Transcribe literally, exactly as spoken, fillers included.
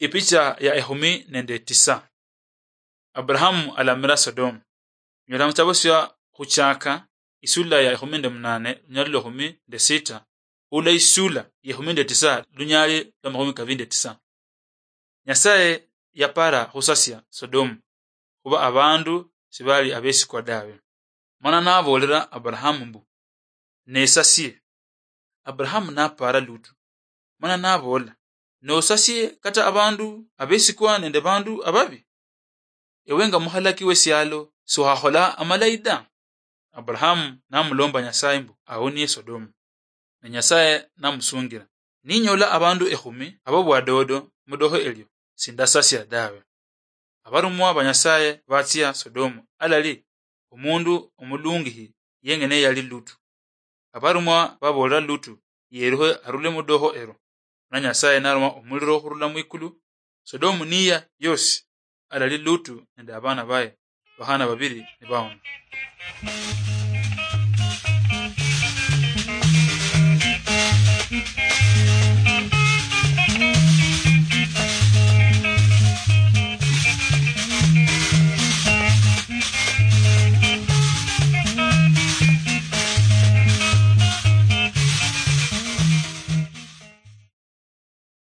Ipicha ya ekhumi nende tisa. Abrahamu alamira Sodomu. Nyola muchitabo sia Khuchaka, isula ya ekhumi nende munane, lunyali lwa ekhumi nende sita, ula isula ya ekhumi nende tisa, lunyali lwa makhumi kabili nende tisa. Nyasaye yapara khusasia Sodomu, khuba abandu sibali abesikwa dawe. Mana naboolera Abrahamu mbu, "Nesasie." Abrahamu napaara Lutu, mana naboola, "Nosasie kata abandu abesikwa nende bandu ababi? Ewe nga mukhalaki wesialo, siwakhola amalayi da?" Abrahamu namulomba Nyasaye mbu awonie Sodomu. Ne Nyasaye namusungira, "Ninyola abandu ekhumi abo bwadodo mudoho elio, sindasasia dawe." Abarumwa ba Nyasaye batsia Sodomu, alali omundu omulungihi yengene yali Lutu. Abarumwa baboolera Lutu yerukhe arule mudoho ero, na Nyasaye naruma omuliro okhurula mwikulu, Sodomu niya yosi, alali Lutu nende abana baye bakhana babili nibawona.